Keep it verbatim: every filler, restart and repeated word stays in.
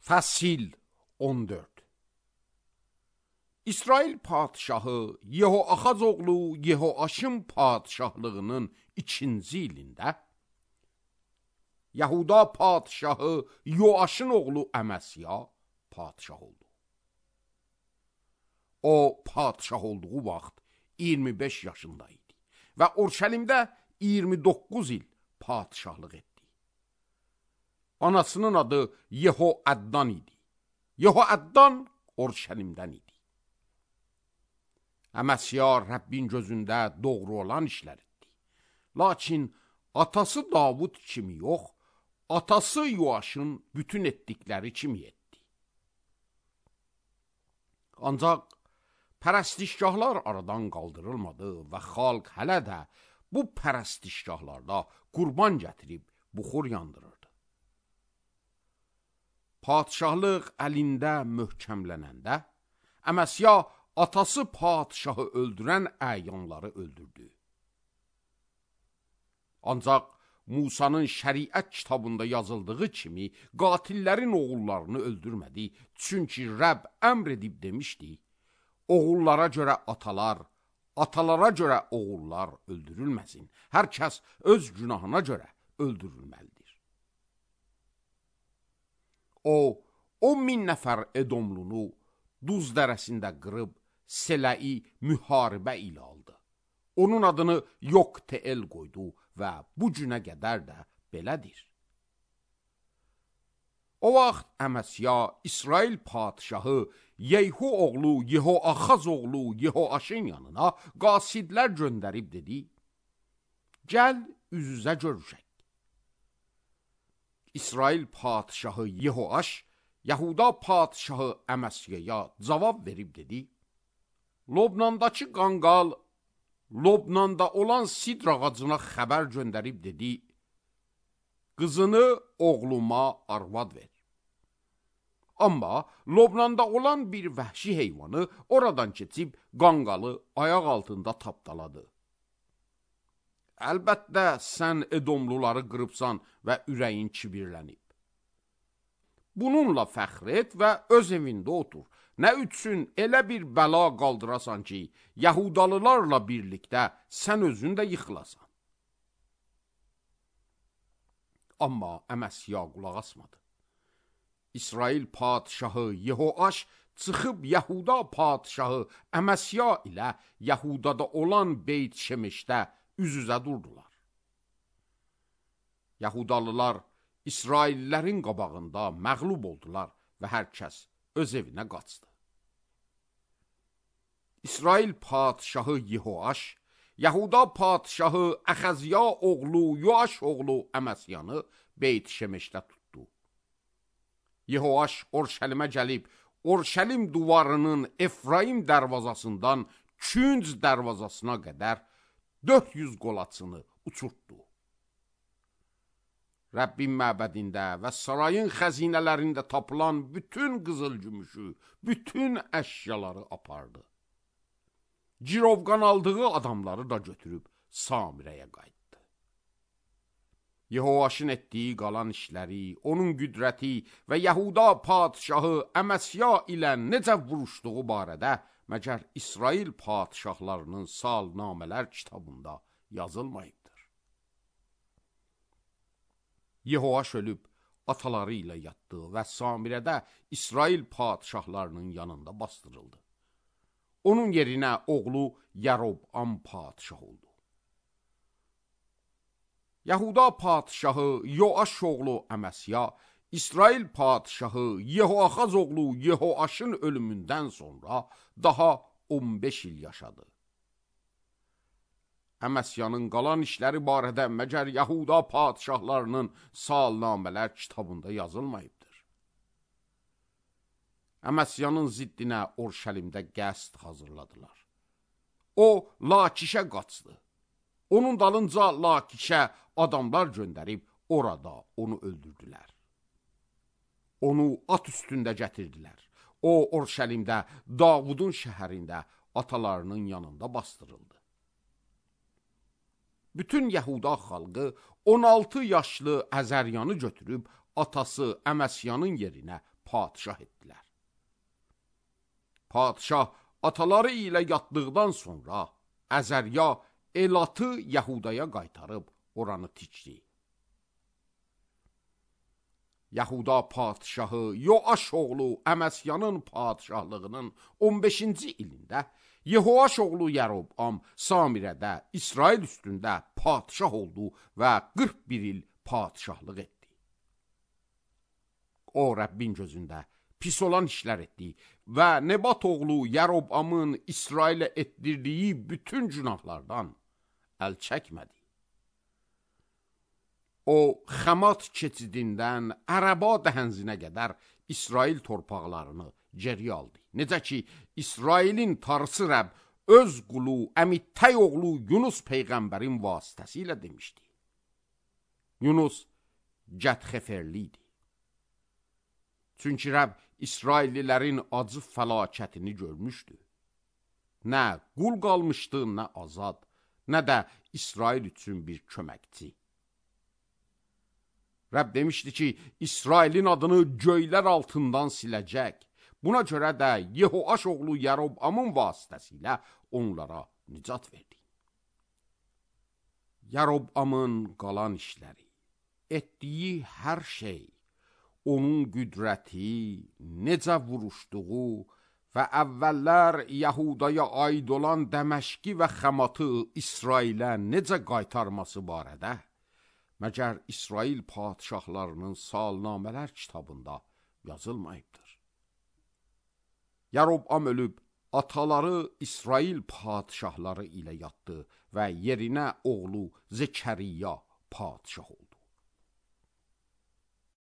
Fəsil on dörd. İsrail padşahı Yehoaxaz oğlu Yehoaşın padşahlığının ikinci ilində Yahuda padşahı Yoaşın oğlu Əməsya padşah oldu. O padşah olduğu vaxt iyirmi beş yaşında idi və Urşəlimdə iyirmi doqquz il padşahlıq etdi. Anasının adı Yehoaddan idi. Yehoaddan Urşəlimdən idi. Əməsya Rəbbin gözündə doğru olan işlər etdi. Lakin atası Davud kimi yox, atası Yoaşın bütün etdikləri kimi etdi. Ancaq pərəstişgahlar aradan qaldırılmadı və xalq hələ də bu pərəstişgahlarda qurban gətirib buxur yandırırdı. Padşahlıq əlində möhkəmlənəndə Əməsya atası padşahı öldürən əyanları öldürdü. Ancaq Musanın şəriət kitabında yazıldığı kimi qatillərin oğullarını öldürmədi. Çünki Rəbb əmr edib demişdi, oğullara görə atalar, atalara görə oğullar öldürülməsin. Hər kəs öz günahına görə öldürülməlidir. O, on min nəfər Edomlunu Duz dərəsində qırıb Seləi müharibə ilə aldı. Onun adını Yoqteel qoydu və bu günə qədər də belədir. O vaxt Əməsya İsrail padşahı Yeyhu oğlu Yehoaxaz oğlu Yehoaşın yanına qasidlər göndərib dedi, gəl üz-üzə görüşək. İsrail padşahı Yehoaş Yahuda padşahı Əməsyaya cavab verib dedi, Lobnandakı qanqal Lobnanda olan sidr ağacına xəbər göndərib dedi, qızını oğluma arvad ver. Amma Lobnanda olan bir vəhşi heyvanı oradan keçib qanqalı ayaq altında tapdaladı. Əlbəttə sən Edomluları qırıbsan və ürəyin kibirlənib. Bununla fəxr et və öz evində otur. Nə üçün elə bir bəla qaldırasan ki, Yahudalılarla birlikdə sən özün də yıxılasan. Amma Əməsya qulaq asmadı. İsrail padşahı Yehoaş çıxıb Yahuda padşahı Əməsya ilə Yahudada olan Beyt Şemeşdə üz-üzə durdular. Yahudalılar İsraillərin qabağında məğlub oldular və hər kəs öz evinə qaçdı. İsrail padşahı Yehoaş, Yahuda padşahı Əxəzya oğlu Yoaş oğlu Əməsyanı Beyt Şemeşdə tutdu. Yehoaş Urşəlimə gəlib, Urşəlim duvarının Efraim dərvazasından Künc dərvazasına qədər dörd yüz qolaçını uçurtdu. Rəbbin məbədində və sarayın xəzinələrində tapılan bütün qızıl gümüşü, bütün əşyaları apardı. Cirovqan aldığı adamları da götürüb Samirəyə qayıtdı. Yehoaşın etdiyi qalan işləri, onun qüdrəti və Yahuda padşahı Əməsya ilə necə vuruşduğu barədə məgər İsrail padşahlarının salnamələr kitabında yazılmayıbdır. Yehoaş ölüb ataları ilə yatdı və Samirədə İsrail padşahlarının yanında bastırıldı. Onun yerinə oğlu Yarob-am padşah oldu. Yahuda padşahı Yoaş oğlu Əməsya, İsrail padşahı Yehoaxaz oğlu Yehoaşın ölümündən sonra daha on beş il yaşadı. Əməsyanın qalan işləri barədə məgər Yahuda padşahlarının salnamələr kitabında yazılmayıbdır. Əməsyanın ziddinə Urşəlimdə qəsd hazırladılar. O, Lakişə qaçdı. Onun dalınca Lakişə adamlar göndərib orada onu öldürdülər. Onu at üstündə gətirdilər. O, Urşəlimdə, Davudun şəhərində atalarının yanında bastırıldı. Bütün Yahuda xalqı on altı yaşlı Əzəryanı götürüb atası Əməsyanın yerinə padişah etdilər. Padişah ataları ilə yatdıqdan sonra Əzərya Elatı Yəhudaya qaytarıb oranı tikdi. Yahuda padişahı Yoaş oğlu Əməsyanın padişahlığının on beşinci ilində Yehoaş oğlu Yərobam Samirədə İsrail üstündə padişah oldu və qırx bir il padişahlıq etdi. O Rəbbin gözündə pis olan işlər etdi və Nebat oğlu Yərobamın İsrailə etdirdiyi bütün günahlardan əl çəkmədi. O, Xəmat keçidindən Ərəba dəhənzinə qədər İsrail torpaqlarını geri aldı. Necə ki, İsrailin tarısı Rəbb öz qulu Əmittəy oğlu Yunus peyğəmbərin vasitəsilə demişdi. Yunus Gətxeferli idi. Çünki Rəbb İsraillilərin acı fəlakətini görmüşdü. Nə qul qalmışdı, nə azad, nə də İsrail üçün bir köməkçi. Rəbb demişdi ki, İsrailin adını göylər altından siləcək. Buna görə də Yehoaş oğlu Yərobamın vasitəsilə onlara nicat verdi. Yərobamın qalan işləri, etdiyi hər şey, onun qüdrəti, necə vuruşduğu və əvvəllər Yəhudaya aid olan Dəməşqi və Xəmatı İsrailə necə qaytarması barədə, məgər İsrail padişahlarının salnamələr kitabında yazılmayıbdır. Yərobam ölüb, ataları İsrail padişahları ilə yatdı və yerinə oğlu Zekəriya padişah oldu.